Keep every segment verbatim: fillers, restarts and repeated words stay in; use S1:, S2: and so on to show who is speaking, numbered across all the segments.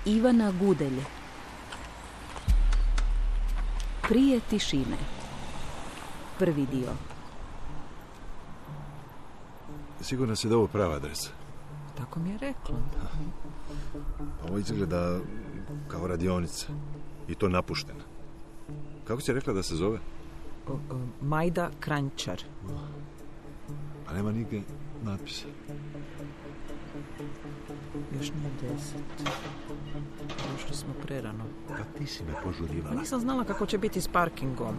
S1: Ivana Gudelj. Prije tišine. Prvi dio.
S2: Sigurno si da ovo prava adresa?
S3: Tako mi je rekla.
S2: Ovo izgleda kao radionica. I to napuštena. Kako si rekla da se zove?
S3: O, o, Majda Kranjčar.
S2: A nema nigdje natpisa.
S3: Još nije deset. Došli smo prerano.
S2: Kad ti si me požurivala?
S3: Pa nisam znala kako će biti s parkingom.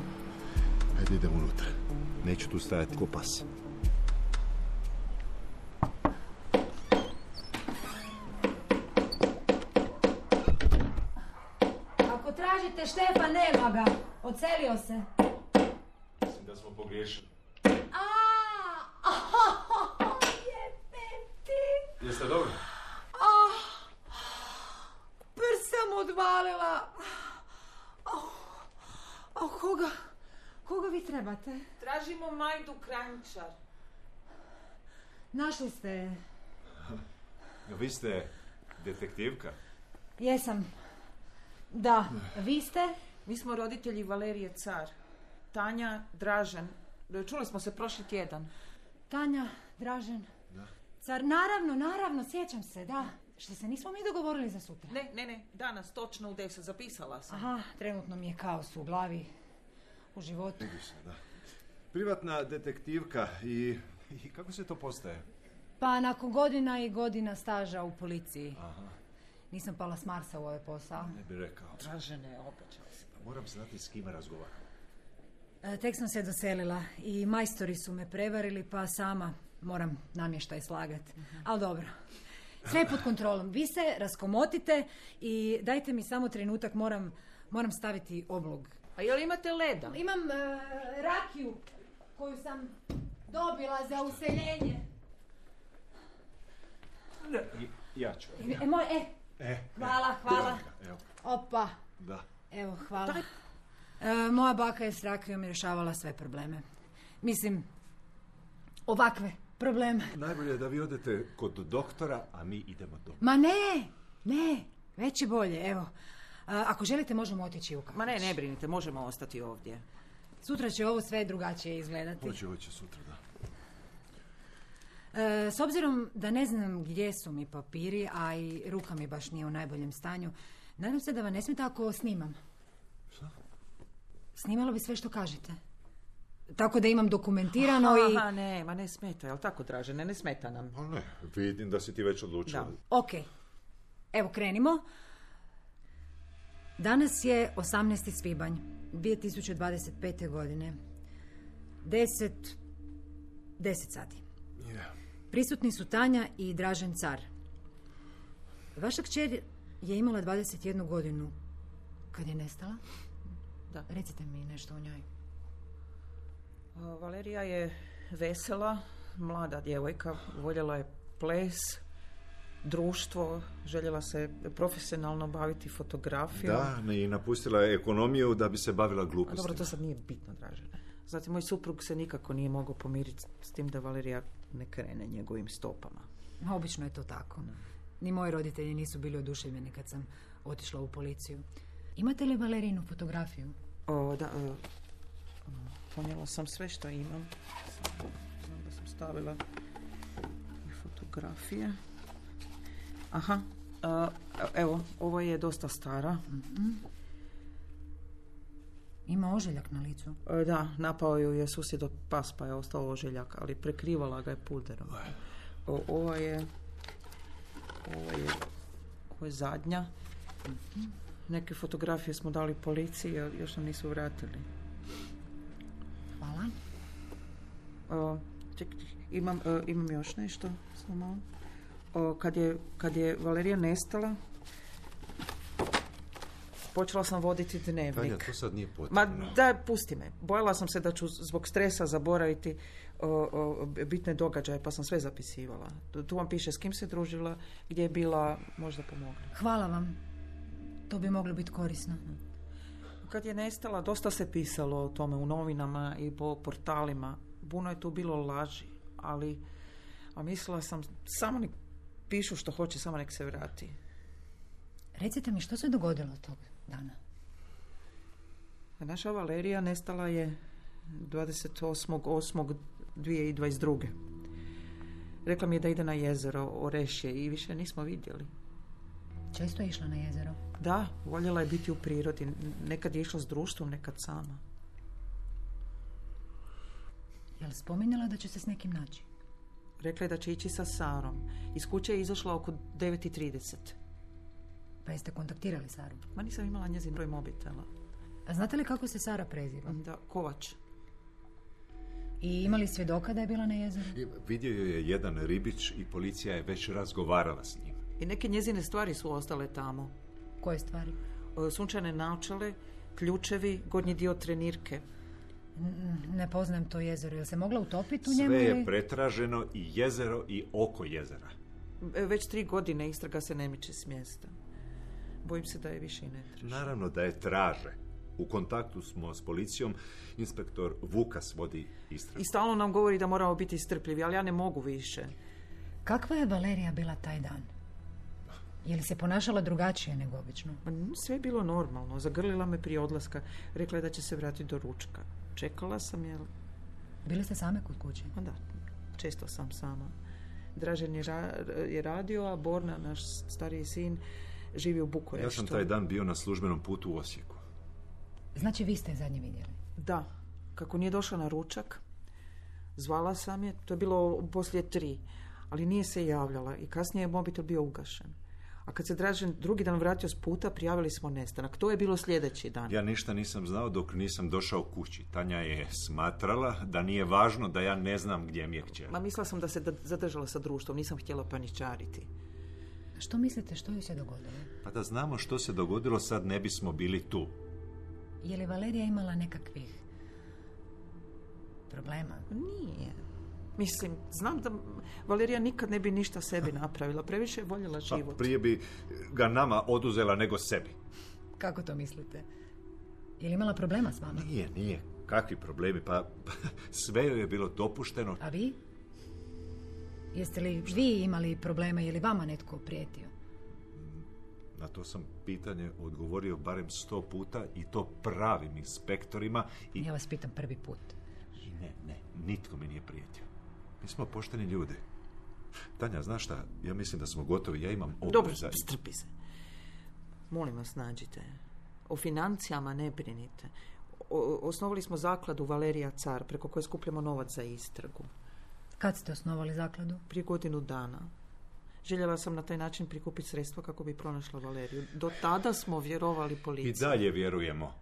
S2: Ajde, idem unutra. Neću tu stajati ko pas.
S4: Ako tražite Štefa, nema ga. Odselio se.
S2: Mislim da smo pogriješili. Jeste dobro?
S4: Oh, prst sam odvalila. Oh, oh, koga? Koga vi trebate?
S3: Tražimo Majdu Kranjčar.
S4: Našli ste je.
S2: Vi ste detektivka?
S4: Jesam. Da, vi ste?
S3: Mi smo roditelji Valerije Car. Tanja, Dražen. Čuli smo se prošli tjedan.
S4: Tanja, Dražen.
S2: Da.
S4: Car, naravno, naravno, sjećam se, da. Što se nismo mi dogovorili za sutra?
S3: Ne, ne, ne, danas, točno u deset, zapisala sam.
S4: Aha, trenutno mi je kaos u glavi, u životu.
S2: Vidi se, da. Privatna detektivka i, i kako se to postaje?
S4: Pa nakon godina i godina staža u policiji.
S2: Aha.
S4: Nisam pala s Marsa u ovaj posao.
S2: Ne bi rekao.
S3: Dražene, obećao si.
S2: Moram znati s kime razgovaram.
S4: E, tek sam se doselila i majstori su me prevarili, pa sama moram namještaj slagati. Uh-huh. Ali dobro. Sve pod kontrolom. Vi se raskomotite i dajte mi samo trenutak, moram, moram staviti oblog.
S3: A jel imate leda?
S4: Imam uh, rakiju koju sam dobila za useljenje.
S2: I, ja ću.
S4: E, moj, e,
S2: E,
S4: hvala, hvala.
S2: Evo.
S4: Opa.
S2: Da.
S4: Evo, hvala. E, moja baka je s rakijom rješavala sve probleme. Mislim, ovakve probleme.
S2: Najbolje je da vi odete kod doktora, a mi idemo doma.
S4: Ma ne, ne, već je bolje, evo. A, ako želite, možemo otići u kafić.
S3: Ma ne, ne brinite, možemo ostati ovdje.
S4: Sutra će ovo sve drugačije izgledati.
S2: Hoće, hoće sutra, da.
S4: E, s obzirom da ne znam gdje su mi papiri, a i ruka mi baš nije u najboljem stanju, nadam se da vam ne smeta ako snimam.
S2: Šta?
S4: Snimalo bi sve što kažete. Tako da imam dokumentirano
S3: aha,
S4: i...
S3: Aha, ne, ma ne smeta, jel tako, Dražene, ne smeta nam.
S2: Pa ne, vidim da si ti već odlučila.
S3: Da.
S4: Ok, evo krenimo. Danas je osamnaesti svibanj dvije tisuće dvadeset pete. godine. Deset... Deset sati.
S2: Yeah.
S4: Prisutni su Tanja i Dražen Car. Vaša kćer je imala dvadeset jednu godinu kad je nestala.
S3: Da.
S4: Recite mi nešto o njoj.
S3: Valerija je vesela, mlada djevojka, voljela je ples, društvo, željela se profesionalno baviti fotografijom.
S2: Da, i napustila je ekonomiju da bi se bavila glupostima.
S3: A dobro, to sad nije bitno, Dražene. Zatim, moj suprug se nikako nije mogao pomiriti s tim da Valerija ne krene njegovim stopama.
S4: Obično je to tako. Ne. Ni moji roditelji nisu bili oduševljeni kad sam otišla u policiju. Imate li Valerinu fotografiju?
S3: O, da, o, ponijela sam sve što imam. Znam da sam stavila i fotografije. Aha, a, evo, ovo je dosta stara.
S4: Mm-hmm. Ima ožiljak na licu?
S3: E, da, napao ju je susjed od pas, pa je ostao ožiljak, ali prekrivala ga je pulderom. O, ovo je, ovo je, ovo je zadnja. Mm-hmm. Neke fotografije smo dali policiji, a još nam nisu vratili.
S4: Hvala.
S3: O, ček, imam, o, imam još nešto, samo. O, kad je, kad je Valerija nestala, počela sam voditi dnevnik.
S2: Tanja, to sad nije potrebno.
S3: Ma daj, pusti me. Bojala sam se da ću zbog stresa zaboraviti o, o, bitne događaje, pa sam sve zapisivala. Tu vam piše s kim se družila, gdje je bila, možda pomogne.
S4: Hvala vam. To bi moglo biti korisno.
S3: Kad je nestala, dosta se pisalo o tome u novinama i po portalima. Puno je tu bilo laži, ali a mislila sam, samo nek pišu što hoće, samo nek se vrati.
S4: Recite mi, što se dogodilo tog dana?
S3: Naša Valerija nestala je dvadeset osmog osmog dvije tisuće dvadeset druge. Rekla mi je da ide na jezero Orešje i više nismo vidjeli.
S4: Često je išla na jezero?
S3: Da, voljela je biti u prirodi. Nekad je išla s društvom, nekad sama.
S4: Je li spominjala da će se s nekim naći?
S3: Rekla je da će ići sa Sarom. Iz kuće je izašla oko devet i trideset.
S4: Pa jeste kontaktirali Saru?
S3: Ma nisam imala njezin broj mobitela.
S4: A znate li kako se Sara preziva?
S3: Da, Kovač.
S4: I imali svjedoka da je bila na jezeru?
S2: Vidio joj je jedan ribić i policija je već razgovarala s njim.
S3: I neke njezine stvari su ostale tamo.
S4: Koje stvari?
S3: Sunčane naočale, ključevi, gornji dio trenirke.
S4: N- ne poznajem to jezero. Je li se mogla utopiti u njemu?
S2: Sve je
S4: ili...
S2: pretraženo, i jezero i oko jezera.
S3: Već tri godine istraga se ne miče s mjesta. Bojim se da je više i ne traže.
S2: Naravno da je traže. U kontaktu smo s policijom, inspektor Vukas vodi istragu.
S3: I stalno nam govori da moramo biti strpljivi, ali ja ne mogu više.
S4: Kakva je Valerija bila taj dan? Je li se ponašala drugačije nego obično?
S3: Sve je bilo normalno. Zagrlila me prije odlaska. Rekla je da će se vratiti do ručka. Čekala sam, jel...
S4: Bili ste same kod kuće?
S3: Pa da, često sam sama. Dražen je, ra- je radio, a Borna, naš stariji sin, živi u Bukureštu.
S2: Ja sam taj dan bio na službenom putu u Osijeku.
S4: Znači vi ste je zadnje vidjeli?
S3: Da, kako nije došla na ručak, zvala sam je, to je bilo poslije tri, ali nije se javljala i kasnije je mobitel bio ugašen. A kad se Dražen drugi dan vratio s puta, prijavili smo nestanak. To je bilo sljedeći dan.
S2: Ja ništa nisam znao dok nisam došao kući. Tanja je smatrala da nije važno da ja ne znam gdje mi je kćer.
S3: Ma mislila sam da se da- zadržala sa društvom, nisam htjela paničariti.
S4: Što mislite, što joj se dogodilo?
S2: Pa da znamo što se dogodilo, sad ne bismo bili tu.
S4: Je li Valerija imala nekakvih problema?
S3: Nije. Mislim, znam da Valerija nikad ne bi ništa sebi napravila. Previše je voljela
S2: Pa
S3: život.
S2: prije bi ga nama oduzela nego sebi.
S4: Kako to mislite? Je li imala problema s vama?
S2: Nije, nije. Kakvi problemi? Pa sve joj je bilo dopušteno.
S4: A vi? Jeste li vi imali problema, je li vama netko prijetio?
S2: Na to sam pitanje odgovorio barem sto puta i to pravim inspektorima i...
S4: Ja vas pitam prvi put.
S2: I ne, ne, nitko mi nije prijetio. Mi smo pošteni ljudi. Tanja, znaš šta? Ja mislim da smo gotovi. Ja imam
S3: Dobro,
S2: obveza.
S3: strpi se. Molim vas, nađite. O financijama ne brinite. O, osnovali smo zakladu Valerija Car, preko koje skupljamo novac za istragu.
S4: Kad ste osnovali zakladu?
S3: Prije godinu dana. Željela sam na taj način prikupiti sredstva kako bi pronašla Valeriju. Do tada smo vjerovali policiji.
S2: I dalje vjerujemo.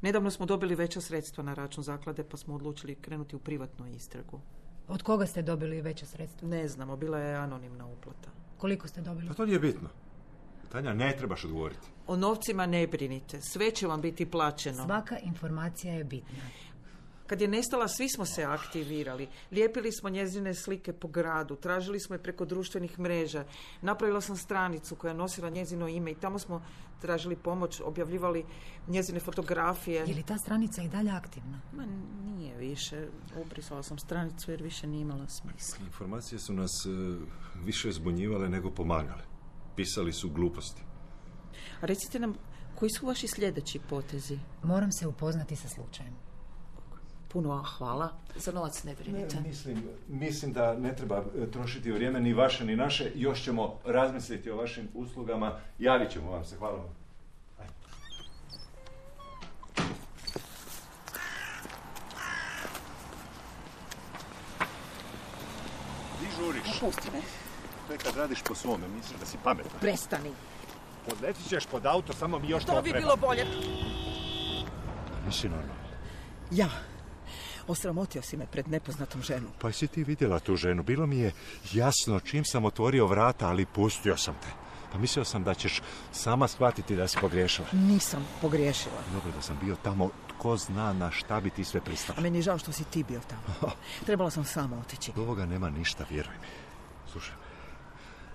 S3: Nedavno smo dobili veća sredstva na račun zaklade, pa smo odlučili krenuti u privatnu istragu.
S4: Od koga ste dobili veća sredstva?
S3: Ne znamo, bila je anonimna uplata.
S4: Koliko ste dobili?
S2: Pa to nije bitno. Tanja, ne trebaš odgovoriti.
S3: O novcima ne brinite, sve će vam biti plaćeno.
S4: Svaka informacija je bitna.
S3: Kad je nestala, svi smo se aktivirali. Lijepili smo njezine slike po gradu, tražili smo je preko društvenih mreža. Napravila sam stranicu koja je nosila njezino ime i tamo smo tražili pomoć, objavljivali njezine fotografije.
S4: Je li ta stranica i dalje aktivna?
S3: Ma nije više. Ubrisala sam stranicu jer više nije imala smisla.
S2: Informacije su nas e, više zbunjivale nego pomagale. Pisali su gluposti.
S3: A recite nam, koji su vaši sljedeći potezi?
S4: Moram se upoznati sa slučajem.
S3: Puno hvala. Za novac ne brinite.
S2: Mislim, mislim da ne treba e, trošiti vrijeme ni vaše ni naše. Još ćemo razmisliti o vašim uslugama. Javit ćemo vam se. Hvala vam. Ajde. Di žuriš?
S3: Pusti me.
S2: To je kad radiš po svome, misliš da si pametan.
S3: Prestani.
S2: Podletit ćeš pod auto, samo mi još to
S3: To bi
S2: treba.
S3: bilo bolje.
S2: Nisi normalno.
S3: Ja. Osramotio si me pred nepoznatom ženom.
S2: Pa si ti vidjela tu ženu? Bilo mi je jasno čim sam otvorio vrata, ali pustio sam te. Pa mislio sam da ćeš sama shvatiti da si pogriješila.
S3: Nisam pogriješila.
S2: Dobro da sam bio tamo, tko zna na šta bi ti sve pristala.
S3: A meni je žao što si ti bio tamo. Trebala sam sama otići.
S2: Od ovoga nema ništa, vjeruj mi. Slušaj,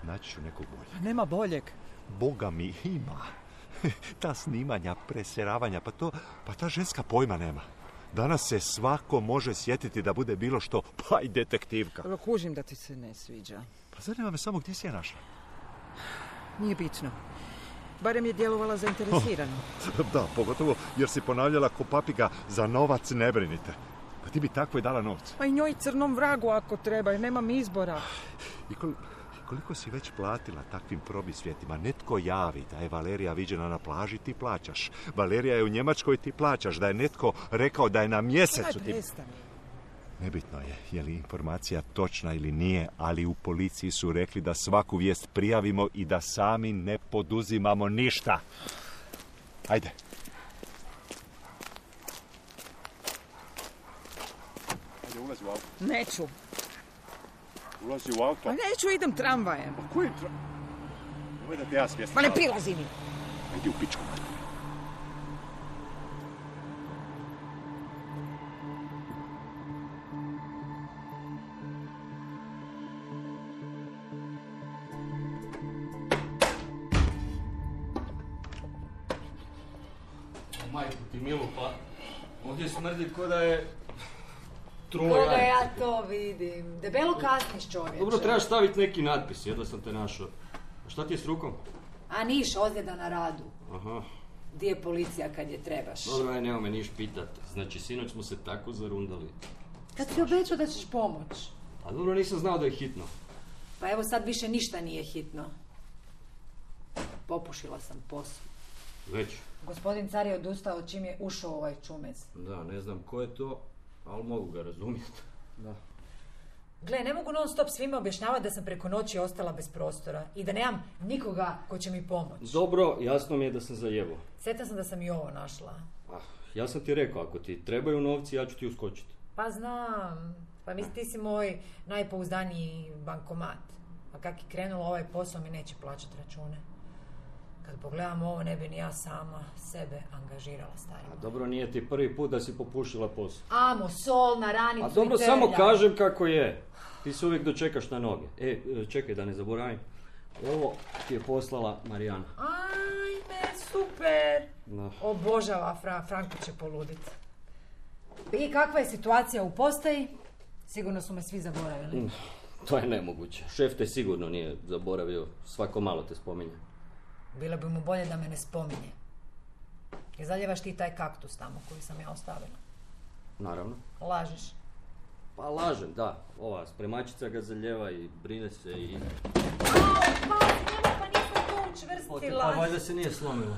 S2: naći ću nekog boljeg.
S3: Nema boljeg.
S2: Boga mi ima. Ta snimanja, presjeravanja, pa to, pa ta ženska pojma nema. Danas se svako može sjetiti da bude bilo što, pa i detektivka.
S3: Kužim da ti se ne sviđa.
S2: Pa zanima me samo gdje si je našla.
S3: Nije bitno. Barem je djelovala zainteresirano.
S2: Da, pogotovo jer si ponavljala ko papiga, za novac ne brinite. Pa ti bi tako i dala novce.
S3: Pa i njoj crnom vragu ako treba, jer nemam izbora.
S2: I kol, koliko si već platila takvim probisvjetima? Netko javi da je Valerija viđena na plaži, ti plaćaš. Valerija je u Njemačkoj, ti plaćaš. Da je netko rekao da je na mjesecu, ti... Nebitno je, je li informacija točna ili nije, ali u policiji su rekli da svaku vijest prijavimo i da sami ne poduzimamo ništa. Ajde. Ajde, ulazi u auto.
S3: Neću.
S2: Ulazi u auto.
S3: Pa neću, idem tramvajem.
S2: Pa koji tramvaj? Ovo je da te ja svjestim.
S3: Pa ne prilazi mi.
S2: Ajde u pičku.
S5: Majku ti milu, pa ovdje smrdi ko da je trulo
S4: Koga
S5: jaje.
S4: ja to vidim. Debelo kasniš, čovječe.
S5: Dobro, trebaš staviti neki natpis, jedva sam te našao. A šta ti je s rukom?
S4: A niš, ozljeda na radu.
S5: Aha.
S4: Di je policija kad je trebaš?
S5: Dobro, aj, nema me niš pitat. Znači, sinoć smo se tako zarundali.
S4: Kad si obećao da ćeš pomoć.
S5: A dobro, nisam znao da je hitno.
S4: Pa evo sad više ništa nije hitno. Popušila sam posao.
S5: Već?
S4: Gospodin car je odustao čim je ušao ovaj čumez.
S5: Da, ne znam ko je to, ali mogu ga razumjeti. Da.
S4: Gle, ne mogu non stop svima objašnjavati da sam preko noći ostala bez prostora i da nemam nikoga ko će mi pomoći.
S5: Dobro, jasno mi je da sam zajebao.
S4: Sretna sam da sam i ovo našla.
S5: Ah, ja sam ti rekao, ako ti trebaju novci, ja ću ti uskočiti.
S4: Pa znam. Pa mislim, ti si moj najpouzdaniji bankomat. A kak je krenulo ovaj posao, mi neće plaćati račune. Kad pogledam ovo, ne bi ni ja sama sebe angažirala, starima.
S5: A dobro, nije ti prvi put da si popušila posao.
S4: Amo, sol na ranicu
S5: A dobro,
S4: i trlja.
S5: samo kažem kako je. Ti se uvijek dočekaš na noge. E, čekaj da ne zaboravim. Ovo ti je poslala Marijana.
S4: Ajme, super!
S5: No.
S4: Obožava, Fra, Franko će poludit. I kakva je situacija u postaji? Sigurno su me svi zaboravili.
S5: Mm, to je nemoguće. Šef te sigurno nije zaboravio. Svako malo te spominje.
S4: Bilo bi mu bolje da me ne spominje. I zaljevaš ti taj kaktus tamo koji sam ja ostavila.
S5: Naravno.
S4: Lažeš.
S5: Pa lažem, da. Ova spremačica ga zaljeva i brine se i...
S4: Au, pa, nema, pa nisam to učvrstila.
S5: Pa valjda se nije slomila.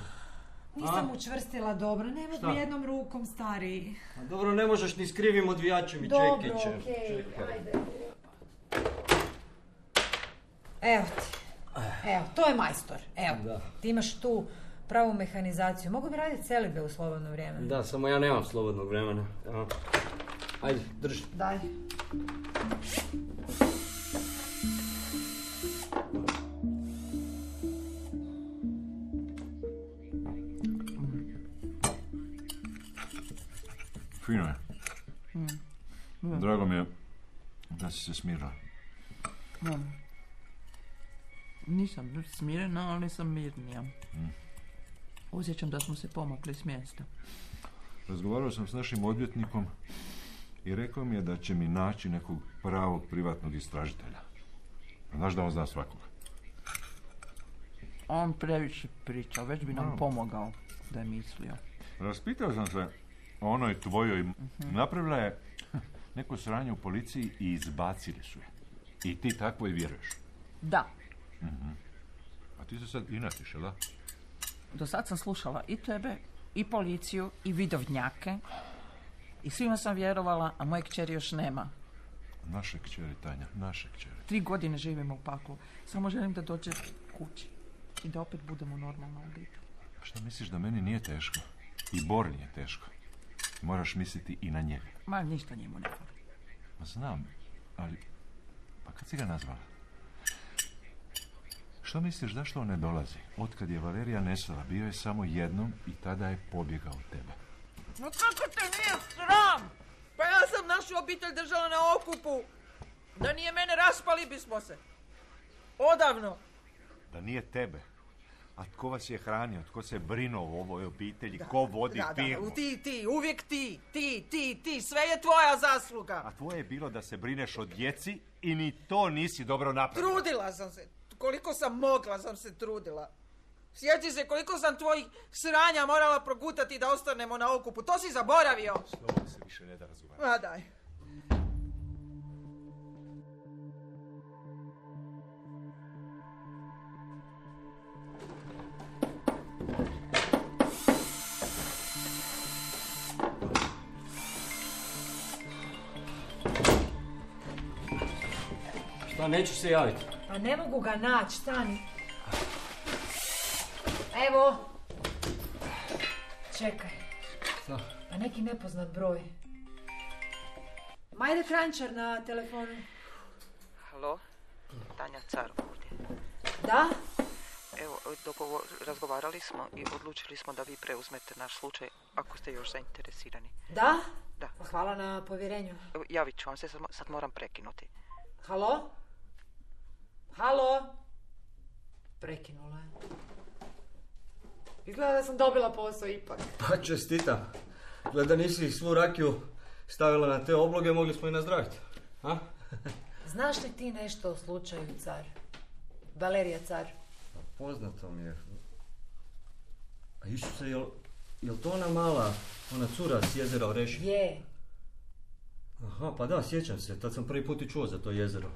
S4: Nisam
S5: A?
S4: učvrstila dobro, ne mogu
S5: Šta?
S4: jednom rukom, stari.
S5: A dobro, ne možeš ni s krivim odvijačem i
S4: Dobro,
S5: čekićem.
S4: okej,
S5: Čekaj.
S4: ajde. Evo ti. Evo, to je majstor. Evo,
S5: Da.
S4: ti imaš tu pravu mehanizaciju. Mogu bi raditi celibe u slobodno vrijeme.
S5: Da, samo ja nemam slobodnog vremena. Evo. Ajde, drži.
S4: Daj.
S2: Fino je. Drago mi je da si se smirila.
S3: Da. Nisam smirena, ali sam mirnija. Osjećam da smo se pomakli s mjesta.
S2: Razgovarao sam s našim odvjetnikom i rekao mi je da će mi naći nekog pravog privatnog istražitelja. Znaš da on zna svakoga.
S3: On previše priča, već bi nam
S2: No.
S3: pomogao da je mislio.
S2: Raspitao sam se o onoj tvojoj. Napravila je neko sranje u policiji i izbacili su je. I ti takvo i vjeruješ.
S3: Da,
S2: A ti se sad inatiš, jel da?
S3: do sad sam slušala i tebe, i policiju, i vidovnjake. I svima sam vjerovala, a moje kćeri još nema.
S2: Naše kćeri, Tanja, naše kćeri.
S3: Tri godine živimo u paklu. Samo želim da dođe kući. I da opet budemo normalna obitelj.
S2: A šta misliš da meni nije teško? I Bori nije teško. Moraš misliti i na njega.
S3: Ma, ništa njemu ne fali.
S2: Ma znam, ali... Pa kad si ga nazvala? Što misliš, zašto on ne dolazi? Otkad je Valerija nestala, bio je samo jednom i tada je pobjegao od tebe.
S3: No kako te nije sram? Pa ja sam našu obitelj držala na okupu. Da nije mene, raspali bismo se. Odavno.
S2: Da nije tebe. A tko vas je hranio? Tko se brinuo o ovoj obitelji? Ko vodi
S3: Da, da,
S2: firmu?
S3: ti, ti, uvijek ti, ti, ti, ti, sve je tvoja zasluga.
S2: A tvoje je bilo da se brineš o djeci i ni to nisi dobro napravila.
S3: Trudila sam se. koliko sam mogla sam se trudila. Sjeti se koliko sam tvojih sranja morala progutati da ostanemo na okupu. To si zaboravio.
S2: Slovo se više ne da razgovarati.
S3: Ma daj.
S5: Šta, nećeš se javiti?
S4: Pa ne mogu ga naći, stani. Evo. Čekaj.
S5: Šta?
S4: Pa neki nepoznat broj. Majde Kranjčar na telefonu.
S3: Halo? Tanja Car ovdje.
S4: Da?
S3: Evo, dogovor, razgovarali smo i odlučili smo da vi preuzmete naš slučaj ako ste još zainteresirani.
S4: Da?
S3: Da.
S4: Pa hvala na povjerenju.
S3: Evo, javit ću vam se, sad, sad moram prekinuti.
S4: Halo? Halo? Prekinula je. Izgleda da sam dobila posao ipak.
S5: Pa čestitam. Gleda nisi svu rakiju stavila na te obloge, mogli smo i nazdraviti. A?
S4: Znaš li ti nešto o slučaju Car? Valerija Car.
S5: Poznato mi je. A Isuse, jel, jel to ona mala, ona cura s jezera Oreši?
S4: Je.
S5: Aha, pa da, sjećam se. Tad sam prvi put i čuo za to jezero.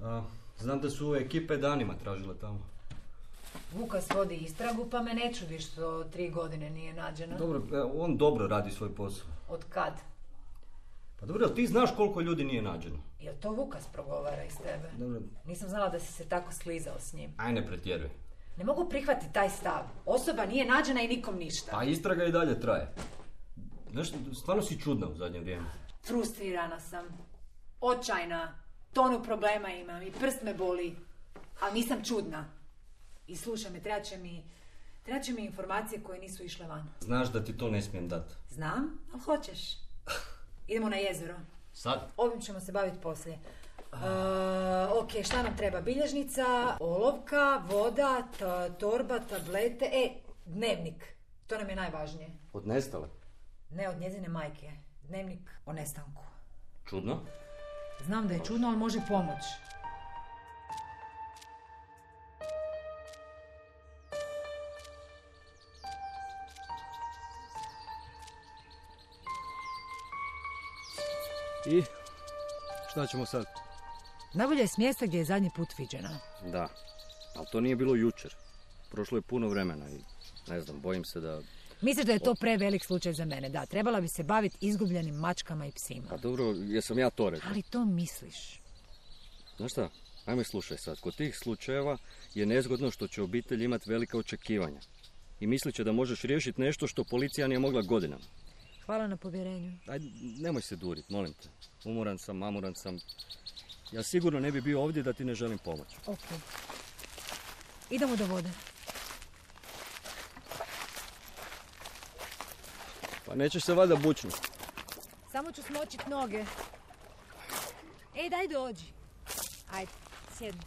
S5: A, znam da su ekipe danima tražile tamo.
S4: Vukas vodi istragu, pa me ne čudi što tri godine nije nađeno.
S5: Dobro, on dobro radi svoj posao.
S4: Od kad?
S5: Pa dobro, jel ti znaš koliko ljudi nije nađeno?
S4: Jel to Vukas progovara iz tebe?
S5: Dobro.
S4: Nisam znala da si se tako sklizao s njim.
S5: Aj, ne pretjeruj.
S4: Ne mogu prihvatiti taj stav. Osoba nije nađena i nikom ništa.
S5: Pa istraga i dalje traje. Znaš, stvarno si čudna u zadnje vrijeme.
S4: Frustrirana sam. Očajna. Tonu problema imam i prst me boli. Ali nisam čudna. I slušaj me, treba će mi, treba će mi informacije koje nisu išle van.
S5: Znaš da ti to ne smijem dati.
S4: Znam, ali hoćeš. Idemo na jezero.
S5: Sad?
S4: Ovim ćemo se baviti poslije. Uh, ok, šta nam treba? Bilježnica, olovka, voda, ta, torba, tablete. E, dnevnik. To nam je najvažnije.
S5: Od nestale?
S4: Ne, od njezine majke. Dnevnik o nestanku.
S5: Čudno?
S4: Znam da je čudno, ali može pomoć.
S5: I? Šta ćemo sad?
S4: Najbolje je s mjesta gdje je zadnji put viđena.
S5: Da, ali to nije bilo jučer. Prošlo je puno vremena i ne znam, bojim se da...
S4: Misliš da je to prevelik slučaj za mene? Da, trebala bi se baviti izgubljenim mačkama i psima.
S5: Pa dobro, jesam ja to rekao.
S4: Ali to misliš.
S5: Znaš šta, ajme slušaj sad. Kod tih slučajeva je nezgodno što će obitelj imati velika očekivanja. I mislit će da možeš riješiti nešto što policija nije mogla godinama.
S4: Hvala na povjerenju.
S5: Ajde, nemoj se durit, molim te. Umoran sam, mamuran sam. Ja sigurno ne bi bio ovdje da ti ne želim pomoći.
S4: Ok. Idemo do vode.
S5: Pa nećeš se valjda bučnuti.
S4: Samo ću smočit noge. Ej, daj dođi. Ajde, sjedni.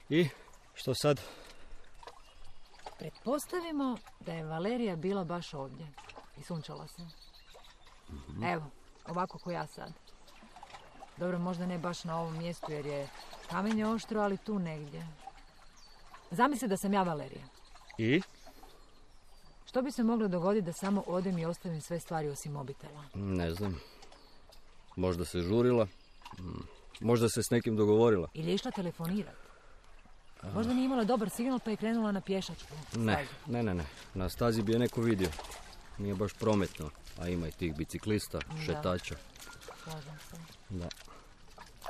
S5: I što sad?
S4: Pretpostavimo da je Valerija bila baš ovdje i sunčala se. Mm-hmm. Evo, ovako ko ja sad. Dobro, možda ne baš na ovom mjestu jer je kamenje oštro, ali tu negdje. Zamisli da sam ja Valerija.
S5: I?
S4: Što bi se moglo dogoditi da samo odem i ostavim sve stvari osim mobitela?
S5: Ne znam. Možda se žurila. Možda se s nekim dogovorila.
S4: Ili je išla telefonirati. Možda nije imala dobar signal pa je krenula na pješačku.
S5: Ne, ne, ne, ne. Na stazi bi je neko vidio. Nije baš prometno, a ima i tih biciklista, da. Šetača.
S4: Slažem se.
S5: Da.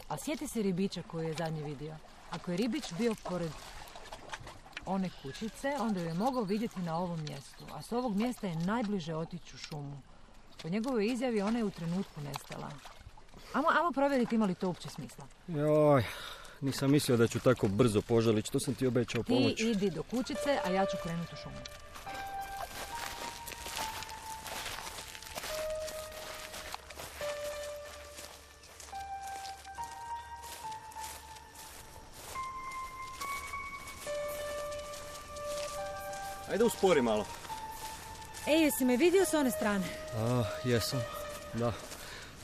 S4: A sjeti se ribiča koju je zadnji vidio. Ako je ribič bio pored one kućice, onda ju je mogao vidjeti na ovom mjestu. A s ovog mjesta je najbliže otići u šumu. Po njegovoj izjavi ona je u trenutku nestala. Amo, amo provjeriti ima li to uopće smisla.
S5: Joj, nisam mislio da ću tako brzo požalići, što sam ti obećao pomoć.
S4: Ti idi do kućice, a ja ću krenuti u šumu.
S5: Ajde uspori malo.
S4: Ej, jesi me vidio s one strane?
S5: A, jesam, da.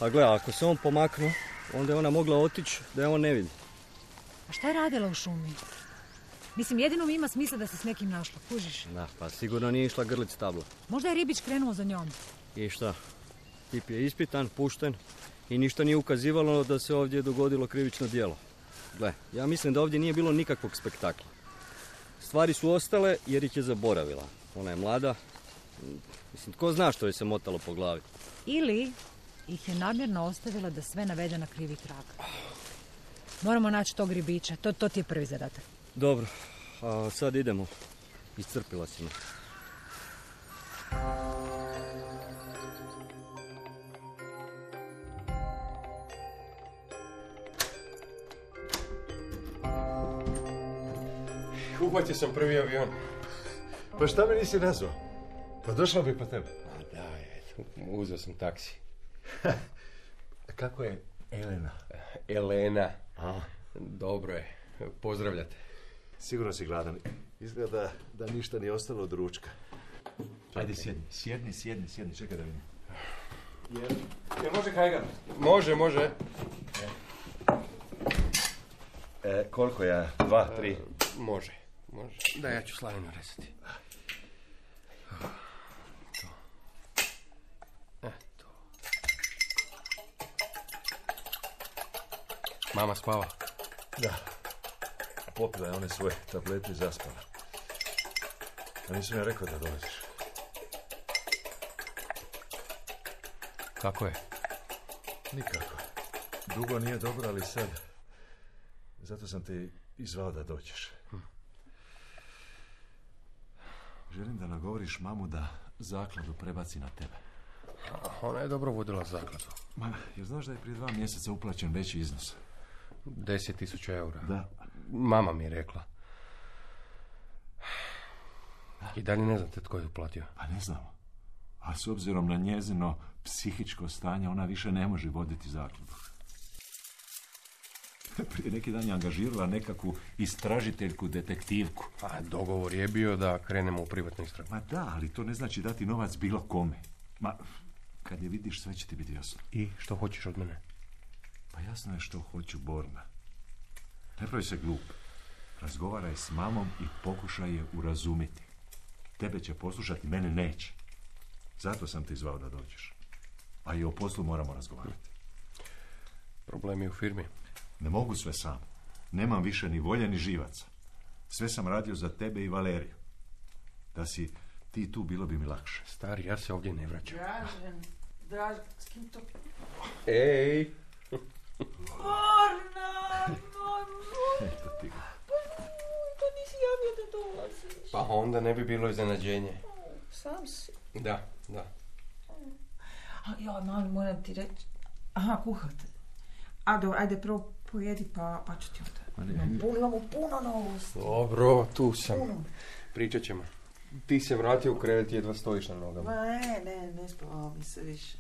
S5: A gle, ako se on pomaknu, onda je ona mogla otići da je on ne vidi.
S4: A šta je radila u šumi? Mislim, jedino mi ima smisla da se s nekim našla, kužiš?
S5: Da, pa sigurno nije išla grlit stabla.
S4: Možda je ribić krenuo za njom.
S5: I šta? Tip je ispitan, pušten i ništa nije ukazivalo da se ovdje dogodilo krivično djelo. Gle, ja mislim da ovdje nije bilo nikakvog spektakla. Stvari su ostale jer ih je zaboravila. Ona je mlada. Mislim, tko zna što je se motalo po glavi.
S4: Ili ih je namjerno ostavila da sve navede na krivi trag. Moramo naći tog ribića. To, to ti je prvi zadatak.
S5: Dobro, a sad idemo. Iscrpila si me.
S6: Uhvatio sam prvi avion.
S2: Pa šta me nisi nazvao? Pa došla bi po tebe.
S6: A da, eto, uzeo sam taksi.
S2: Kako je Elena?
S6: Elena.
S2: A?
S6: Dobro je. Pozdravljate.
S2: Sigurno si gladan. Izgleda da ništa nije ostalo od ručka. Ajde, sjedni, sjedni, sjedni, sjedni, čekaj da vidim.
S6: Jel, jel može kajgan? Može, može.
S2: E, koliko ja? Dva, tri?
S6: E, može, može. Da, ja ću slavinu resati. To. Eto. Mama spava?
S2: Da. Popila je one svoje tablete i zaspala. A nisam ja rekao da dolaziš.
S6: Kako je?
S2: Nikako. Dugo nije dobro, ali sad... Zato sam te izvao da dođeš. Hm. Želim da nagovoriš mamu da zakladu prebaci na tebe.
S6: Ona je dobro vodila zakladu.
S2: Ma, jer znaš da je prije dva mjeseca uplaćen veći iznos?
S6: Deset tisuća eura.
S2: Da.
S6: Mama mi je rekla. I dalje ne znate tko je uplatio.
S2: Pa ne znam. A s obzirom na njezino psihičko stanje, ona više ne može voditi zakladu. Prije neki dan je angažirala nekakvu istražiteljku, detektivku.
S6: A dogovor je bio da krenemo u privatnu istragu.
S2: Ma da, ali to ne znači dati novac bilo kome. Ma, kad je vidiš, sve će ti biti jasno.
S6: I što hoćeš od mene?
S2: Pa jasno je što hoću, Borna. Ne pravi se glup. Razgovaraj s mamom i pokušaj je urazumiti. Tebe će poslušati, mene neće. Zato sam te zvao da dođeš. A i o poslu moramo razgovarati.
S6: Problemi u firmi?
S2: Ne mogu sve sam. Nemam više ni volje ni živaca. Sve sam radio za tebe i Valeriju. Da si ti tu, bilo bi mi lakše.
S6: Stari, ja se ovdje ne vraćam.
S3: Dražen, Dražen, s kim to...
S6: Ej!
S3: Borna!
S2: Eto ti ga.
S3: To nisi javio da dolaziš.
S6: Pa onda ne bi bilo iznenađenje.
S3: Sam si.
S6: Da, da.
S3: A ja, mami, moram ti reći... Aha, kuhate. A dobro, ajde prvo pojedi pa, pa ću ti onda. Imamo puno, imamo puno novosti.
S6: Dobro, tu sam.
S3: Puno.
S6: Pričat ćemo. Ti se vratio u krevet, jedva stojiš na nogama.
S3: Ma ne, ne, ne spavao mi se više.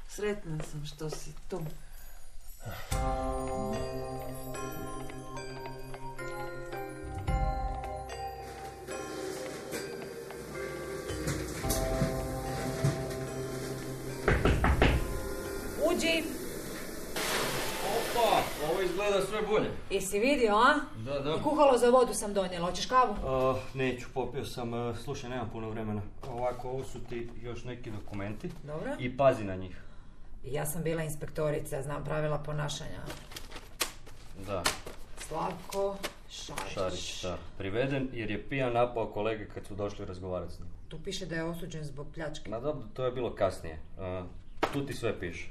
S3: Sretna sam što si tu.
S4: Uđi!
S5: Opa, ovo izgleda sve bolje.
S4: Jesi vidio, a?
S5: Da, da.
S4: I kuhalo za vodu sam donijela. Hoćeš kavu?
S5: Uh, neću, popio sam. Uh, slušaj, nemam puno vremena. Ovako, ovo su ti još neki dokumenti.
S4: Dobro.
S5: I pazi na njih.
S4: Ja sam bila inspektorica, znam pravila ponašanja.
S5: Da.
S4: Slavko Šarić.
S5: Šarić, da. Priveden jer je pijan napao kolege kad su došli razgovarati s njim.
S4: Tu piše da je osuđen zbog pljačke.
S5: Ma dobro, to je bilo kasnije. Uh, tu ti sve piše.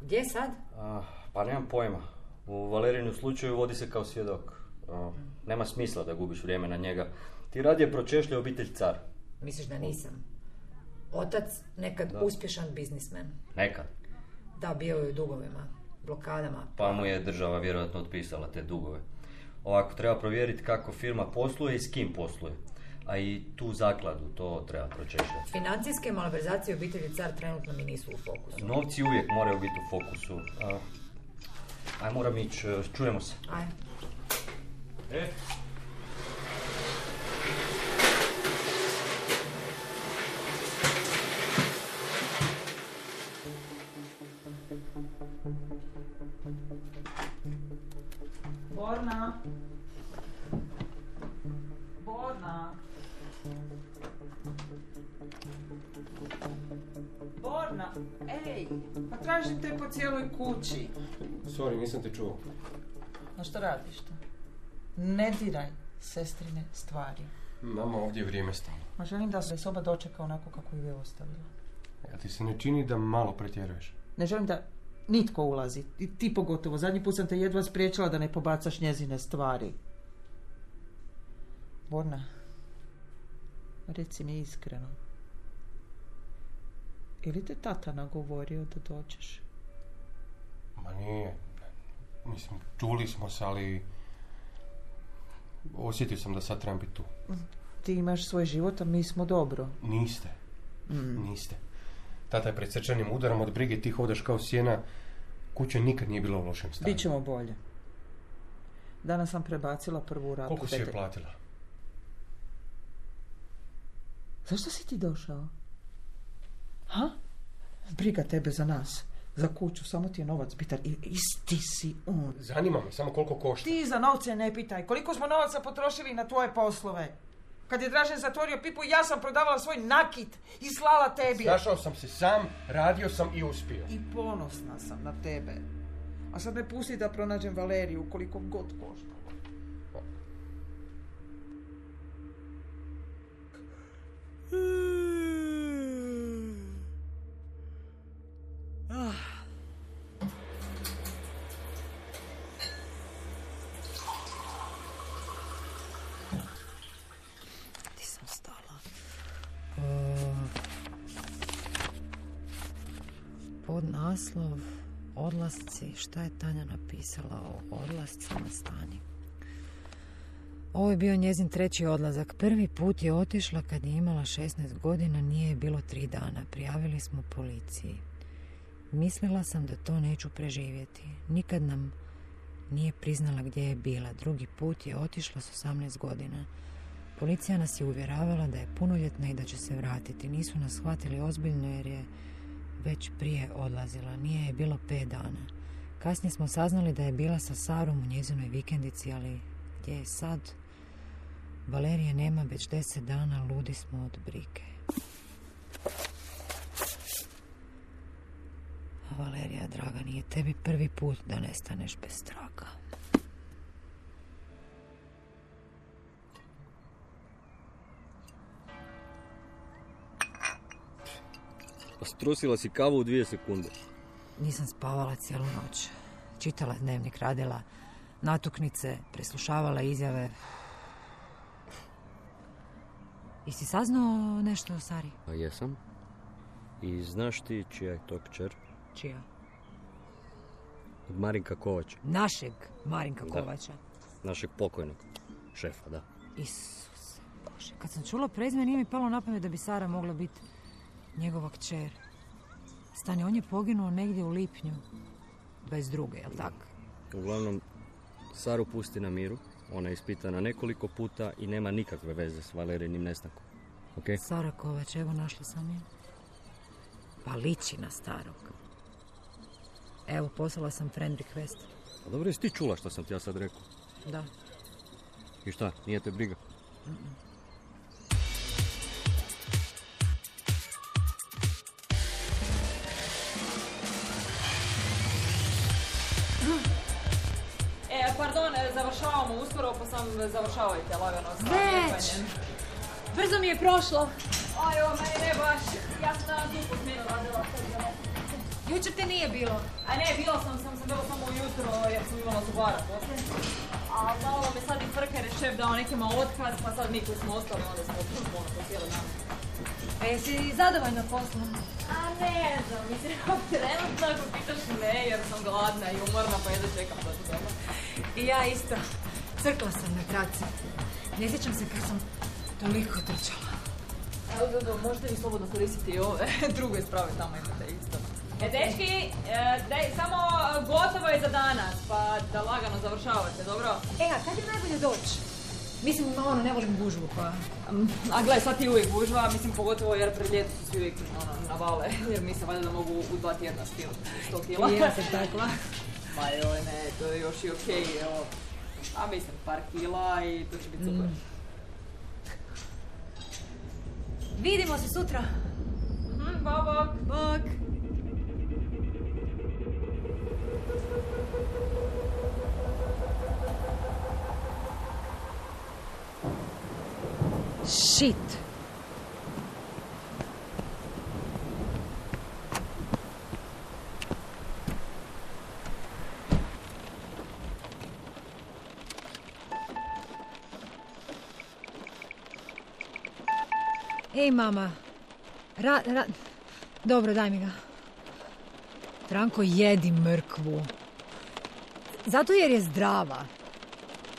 S4: Gdje sad?
S5: Uh, pa nemam pojma. U Valerijinu slučaju vodi se kao svjedok. Uh, nema smisla da gubiš vrijeme na njega. Ti radije pročešlja obitelj Car.
S4: Misliš da nisam? Otac, nekad
S5: da.
S4: uspješan biznismen.
S5: Nekad.
S4: Da, bio je u dugovima, blokadama.
S5: Pa mu je država vjerojatno otpisala te dugove. Ovako, treba provjeriti kako firma posluje i s kim posluje. A i tu zakladu, to treba pročešljati.
S4: Financijske malverzacije obitelji Car trenutno mi nisu u fokusu.
S5: Novci uvijek moraju biti u fokusu. Uh, aj, moram ići, čujemo se.
S4: Aj.
S5: E?
S3: Borna. Borna. Borna, ej, pa tražim te po cijeloj kući.
S6: Sorry, nisam te čuo.
S3: No što radiš to? Ne diraj sestrine stvari.
S6: Mama, ovdje je vrijeme stalo.
S3: Ma želim da se soba dočeka onako kako ju je ostavila.
S6: Ja ti se ne čini da malo pretjeruješ?
S3: Ne želim da nitko ulazi. I ti pogotovo. Zadnji put sam te jedva spriječila da ne pobacaš njezine stvari. Borna, reci mi iskreno. Ili te tata nagovorio da dođeš?
S6: Ma nije. Mislim, čuli smo se, ali osjetio sam da sad trebam biti tu.
S3: Ti imaš svoj život, a mi smo dobro.
S6: Niste.
S3: Mm.
S6: Niste. Tata je pred srčanim udarom od brige, ti hodaš kao sjena. Kuća nikad nije bila u lošem stanju.
S3: Bićemo bolje. Danas sam prebacila prvu ratu.
S6: Koliko si je platila?
S3: Zašto si ti došao? Ha? Briga tebe za nas. Za kuću, samo ti je novac bitan. I isti si on.
S6: Zanima me, samo koliko košta.
S3: Ti za novce ne pitaj. Koliko smo novaca potrošili na tvoje poslove? Kad je Dražen zatvorio pipu, ja sam prodavala svoj nakit i slala tebi.
S6: Našao sam se sam, radio sam i uspio.
S3: I ponosna sam na tebe. A sad me pusti da pronađem Valeriju, koliko god košta.
S4: Ti sam stala. Pod naslov Odlasci. Šta je Tanja napisala o odlascima, stani? Ovo je bio njezin treći odlazak. Prvi put je otišla kad je imala šesnaest godina, nije je bilo tri dana. Prijavili smo policiji. Mislila sam da to neću preživjeti. Nikad nam nije priznala gdje je bila. Drugi put je otišla s osamnaest godina. Policija nas je uvjeravala da je punoljetna i da će se vratiti. Nisu nas shvatili ozbiljno jer je već prije odlazila. Nije je bilo pet dana. Kasnije smo saznali da je bila sa Sarom u njezinoj vikendici, ali gdje je sad? Valerije nema već deset dana, ludi smo od brige. A Valerija, draga, nije tebi prvi put da nestaneš bez traga.
S5: Pa strusila si kavu u dvije sekunde.
S4: Nisam spavala cijelu noć. Čitala dnevnik, radila natuknice, preslušavala izjave. Jesi saznao nešto o Sari?
S5: A jesam. I znaš ti čija je to kćer?
S4: Čija?
S5: Od Marinka Kovača.
S4: Našeg Marinka
S5: Da.
S4: Kovača.
S5: Našeg pokojnog šefa, da.
S4: Isuse Bože. Kad sam čula prezime, nije mi palo na pamet da bi Sara mogla biti njegova kćer. Stani, on je poginuo negdje u lipnju dvadeset druge, jel tako?
S5: Uglavnom, Saru pusti na miru. Ona je ispitana nekoliko puta i nema nikakve veze s Valerijinim nestankom. Ok?
S4: Sara Kovač, evo našla sam je. Pa liči na starog. Evo, poslala sam friend request.
S5: A dobro, jesi ti čula što sam ti ja sad rekao?
S4: Da.
S5: I šta, nije te briga?
S4: Mm-mm.
S7: E, pardon, završavamo uskoro, pa sam završavajte lagano sa
S4: Već!
S7: lijepanjem.
S4: Brzo mi je prošlo.
S7: Aj, o, meni ne baš. Ja sam danas dupu smjenu radila.
S4: Jučer te nije bilo.
S7: A ne, bila sam, sam, sam bila samo ujutro jer sam imala zubara poslije. A malo me sad i frka jer je šef dao nekima otkaz, pa sad mi koji smo ostali, onda smo ono po cijeli dan.
S4: A jesi zadovoljna poslom?
S7: A ne znam, mislim, trenutno ako pitaš ne, jer sam gladna i umorna, pa jedno čekam da ću doma.
S4: I ja isto. Crkla sam na traci. Ne sjećam se kad sam toliko trčala.
S7: Evo, do, do, možete vi slobodno koristiti i ove druge sprave, tamo imate isto. E, dečki, e, daj, samo gotovo je za danas, pa da lagano završavate, dobro?
S4: E, a kad je najbolje doći? Mislim, ono, ne volim gužvu, pa...
S7: A gledaj, sad ti uvijek gužva, mislim, pogotovo jer pred ljeto su svi uvijek ono, navale, jer mislim valjda da mogu u dva tjedna skinuti sto kila.
S4: I ja sam takva.
S7: Ma joj, ne, to je još i okej, evo. A mislim, par kila i to će biti super. Mm.
S4: Vidimo se sutra.
S7: Mm, bok, bok.
S4: Bok. Shit. Ej, mama. Ra, ra... Dobro, daj mi ga. Franko, jedi mrkvu. Zato jer je zdrava.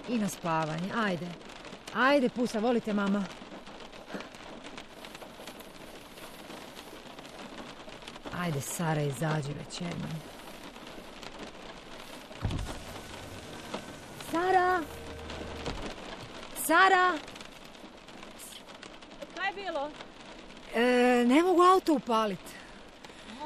S4: I na spavanje. Ajde. Ajde, pusa, volite, mama. Ajde, Sara, izađi već jednom. Sara! Sara!
S7: Kaj je bilo?
S4: E, ne mogu auto upaliti.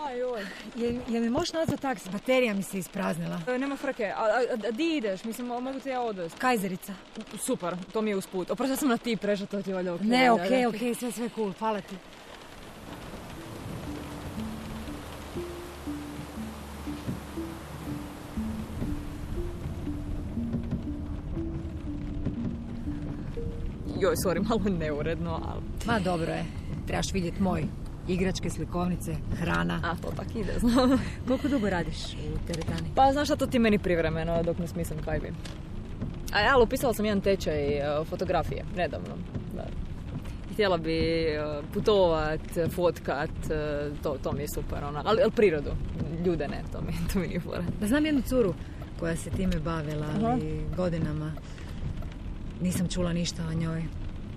S7: Aj, oj.
S4: Je, je mi možeš nazvati taksi? Baterija mi se ispraznila.
S7: E, nema frke. A, a, a di ideš? Mislim, mogu te ja odvesti.
S4: Kajzerica.
S7: Super, to mi je usput. Oprosti, sam na ti prešla, to ti je valjda okej.
S4: Ne,
S7: da,
S4: okej,
S7: da.
S4: okej, sve, sve cool, hvala ti.
S7: Joj, sorry, malo neuredno, ali...
S4: Ma dobro je, trebaš vidjeti moj. Igračke, slikovnice, hrana.
S7: A, to tak ide, znam.
S4: Koliko dugo radiš u teretani?
S7: Pa, znaš šta, to ti meni privremeno, dok ne smislim kaj bi. A ja, ali upisala sam jedan tečaj uh, fotografije, nedavno. Da. Htjela bi uh, putovat, fotkat, uh, to, to mi je super, ona. Ali, ali prirodu, ljude ne, to mi, to mi nije fora.
S4: Da znam jednu curu koja se time bavila, ali
S7: Aha.
S4: godinama. Nisam čula ništa o njoj.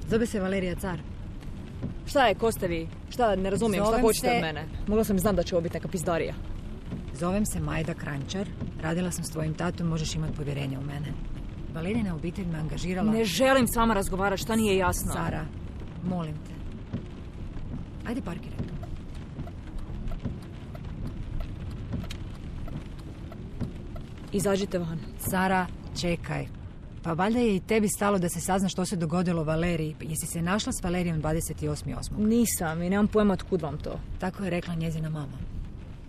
S4: Zove se Valerija Car.
S7: Šta je, ko ste vi? Šta, ne razumijem,
S4: Zovem
S7: šta hoćete
S4: se-
S7: od mene? Mogla sam znati da će ovo biti neka pizdarija.
S4: Zovem se Majda Kranjčar. Radila sam s tvojim tatom, možeš imati povjerenje u mene. Valerijina obitelj me angažirala...
S7: Ne želim s vama razgovarati, šta nije jasno?
S4: Sara, molim te. Ajde parkiraj tu.
S7: Izađite van.
S4: Sara, čekaj. Pa valjda je i tebi stalo da se sazna što se dogodilo Valeriji. Jesi se našla s Valerijom dvadeset osmog osmog
S7: Nisam i nemam pojma otkud vam to.
S4: Tako je rekla njezina mama.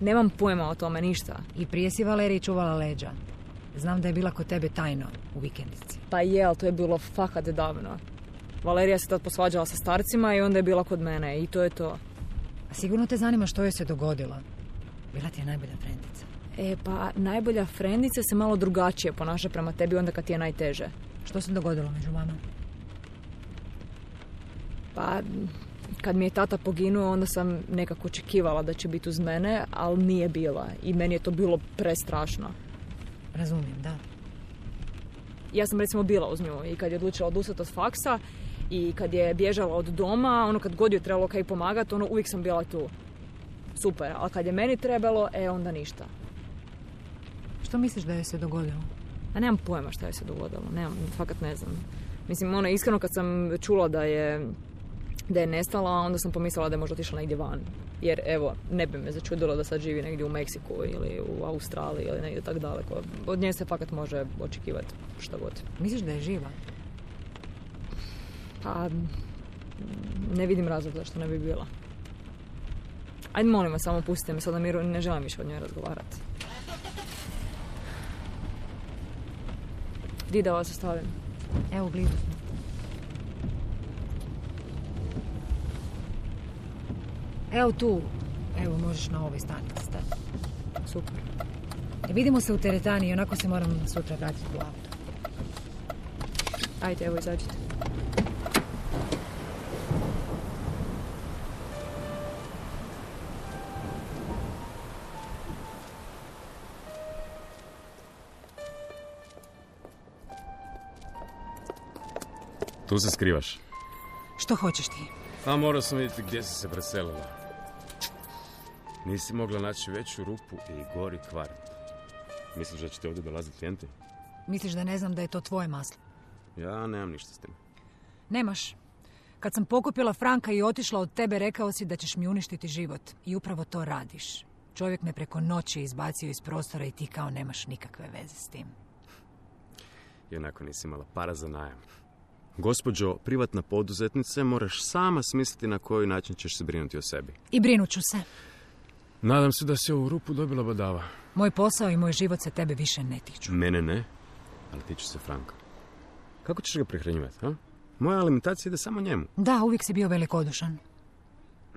S7: Nemam pojma o tome, ništa.
S4: I prije si Valeriji čuvala leđa. Znam da je bila kod tebe tajno u vikendici.
S7: Pa je, ali to je bilo fakat davno. Valerija se tad posvađala sa starcima i onda je bila kod mene i to je to.
S4: A sigurno te zanima što joj se dogodilo. Bila ti je najbolja frendica.
S7: E, pa najbolja frendica se malo drugačije ponaša prema tebi onda kad ti je najteže.
S4: Što se dogodilo među vama?
S7: Pa, kad mi je tata poginuo, onda sam nekako očekivala da će biti uz mene, ali nije bila. I meni je to bilo prestrašno.
S4: Razumijem, da.
S7: Ja sam recimo bila uz nju i kad je odlučila odustati od faksa i kad je bježala od doma, ono kad god je trebalo kaj pomagati, ono uvijek sam bila tu. Super, ali kad je meni trebalo, e onda ništa.
S4: Što misliš da joj se dogodilo?
S7: A nemam pojma šta je se dogodilo, nemam, fakat ne znam. Mislim, ono, iskreno kad sam čula da je, da je nestala, onda sam pomislila da je možda otišla negdje van. Jer, evo, ne bi me začudilo da sad živi negdje u Meksiku ili u Australiji ili negdje tak daleko. Od nje se fakat može očekivati šta god.
S4: Misliš da je živa?
S7: Pa, ne vidim razlog zašto ne bi bila. Ajde, molim vas, samo pustite me sad na miru, ne želim više od njoj razgovarati. Di da vas ostavim?
S4: Evo, blizu smo. Evo tu. Evo, možeš na ovoj stanici stati.
S7: Super.
S4: E, vidimo se u teretani i onako se moram sutra vratiti u auto.
S7: Ajde, evo, izađite.
S8: Tu se skrivaš.
S4: Što hoćeš ti?
S8: A morao sam vidjeti gdje si se preselila. Nisi mogla naći veću rupu i gori kvart. Misliš da će te ovdje dolaziti klijenti?
S4: Misliš da ne znam da je to tvoje maslo?
S8: Ja nemam ništa s tim.
S4: Nemaš. Kad sam pokupila Franka i otišla od tebe, rekao si da ćeš mi uništiti život. I upravo to radiš. Čovjek me preko noći izbacio iz prostora i ti kao nemaš nikakve veze s tim.
S8: I onako nisi imala para za najam. Gospođo privatna poduzetnice, moraš sama smisliti na koji način ćeš se brinuti o sebi.
S4: I brinut ću se.
S8: Nadam se da si ovu rupu dobila badava.
S4: Moj posao i moj život se tebe više ne tiču.
S8: Mene ne, ali tiču se Franka. Kako ćeš ga prihranjivati, ha? Moja alimentacija ide samo njemu.
S4: Da, uvijek si bio velikodušan.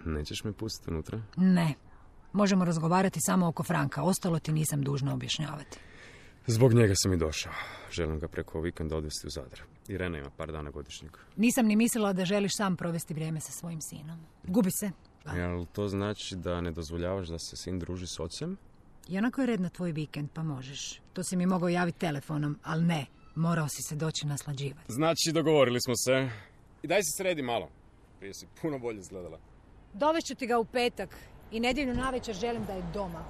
S8: Nećeš me pustiti unutra?
S4: Ne. Možemo razgovarati samo oko Franka. Ostalo ti nisam dužna objašnjavati.
S8: Zbog njega sam i došao. Želim ga preko vikenda odvesti u Zadar. Irena ima par dana godišnjeg.
S4: Nisam ni mislila da želiš sam provesti vrijeme sa svojim sinom. Gubi se.
S8: Jel to znači da ne dozvoljavaš da se sin druži s ocem?
S4: I onako je red na tvoj vikend, pa možeš. To si mi mogao javiti telefonom, ali ne. Morao si se doći naslađivati.
S8: Znači, dogovorili smo se. I daj se sredi malo. Prije si puno bolje izgledala.
S4: Dovešću ti ga u petak i nedjelju navečer želim da je doma.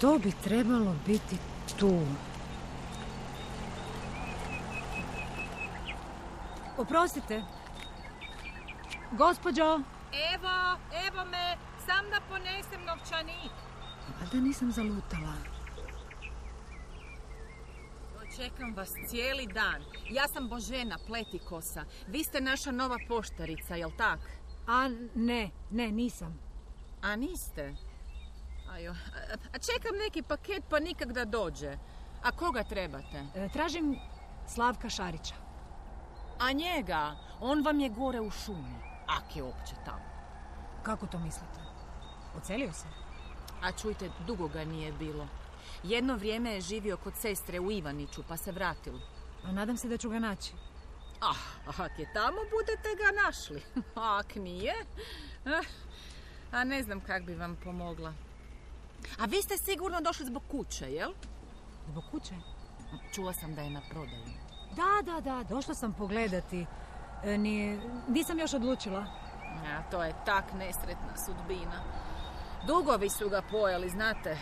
S4: To bi trebalo biti tu. Oprostite. Gospođo.
S9: Evo, evo me, sam da ponesem novčanik.
S4: Valjda nisam zalutala.
S9: Čekam vas cijeli dan. Ja sam Božena Pletikosa. Vi ste naša nova poštarica, jel tak?
S4: A ne, ne, nisam.
S9: A niste? Ajo, a čekam neki paket pa nikak da dođe. A koga trebate?
S4: E, tražim Slavka Šarića.
S9: A njega? On vam je gore u šumi. Ak je opće tamo.
S4: Kako to mislite? Ocelio se?
S9: A čujte, dugo ga nije bilo. Jedno vrijeme je živio kod sestre u Ivaniću, pa se vratilo.
S4: A nadam se da ću ga naći.
S9: Ah, ak je tamo, budete ga našli. Ak nije, a ne znam kak bi vam pomogla. A vi ste sigurno došli zbog kuće, jel?
S4: Zbog kuće?
S9: Čula sam da je na prodaju.
S4: Da, da, da, došla sam pogledati. E, nije, nisam još odlučila.
S9: A, to je tak nesretna sudbina. Dugovi su ga pojeli, znate.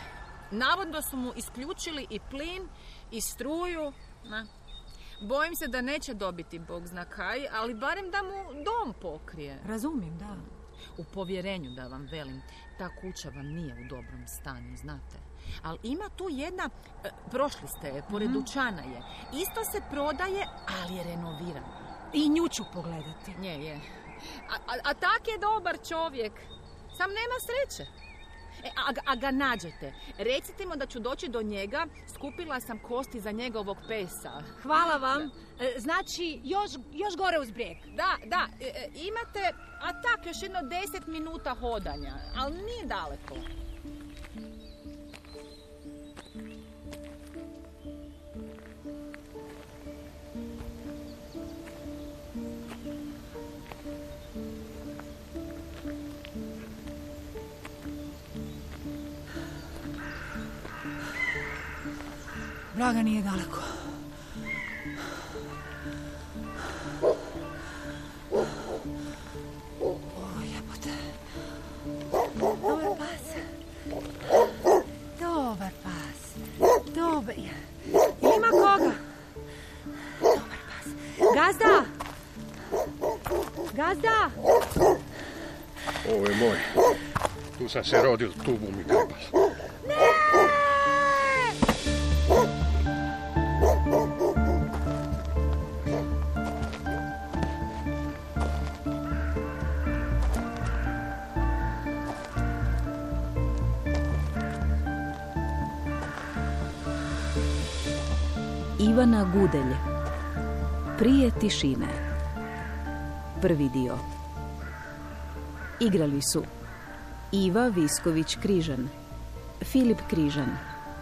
S9: Navodno su mu isključili i plin i struju. Na. Bojim se da neće dobiti Bog zna kaj, ali barem da mu dom pokrije.
S4: Razumijem, da.
S9: U povjerenju da vam velim, ta kuća vam nije u dobrom stanju, znate. Ali ima tu jedna, e, prošli ste je, pored mm-hmm. dućana je. Isto se prodaje, ali je renovirana.
S4: I nju ću pogledati.
S9: Nje, je. A, a, a tak je dobar čovjek. Sam nema sreće. E, a, a ga nađete. Recite mu da ću doći do njega. Skupila sam kosti za njegovog pesa.
S4: Hvala vam. E, znači, još, još gore uz brijeg.
S9: Da, da. E, imate, a tak, još jedno deset minuta hodanja. Ali nije daleko.
S4: Vraga nije daleko. O, jebote. Dobar pas. Dobar pas. Dobar. Ima koga? Dobar pas. Gazda! Gazda!
S6: Ovo je moj. Tu sam se rodil, tu bu mi trebalo.
S1: Ivana Gudelj. Prije tišine. Prvi dio. Igrali su Iva Visković-Križan, Filip Križan,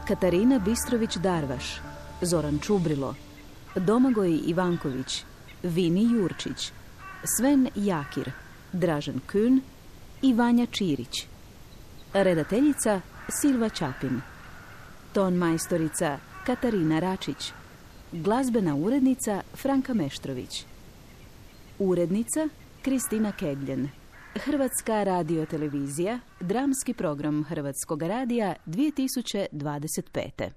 S1: Katarina Bistrović-Darvaš, Zoran Čubrilo, Domagoj Ivanković, Vini Jurčić, Sven Jakir, Dražen Kün i Vanja Čirić. Redateljica Silva Čapin. Ton majstorica Katarina Račić. Glazbena urednica Franka Meštrović. Urednica Kristina Kegljen. Hrvatska radiotelevizija, dramski program Hrvatskog radija dvije tisuće dvadeset pete.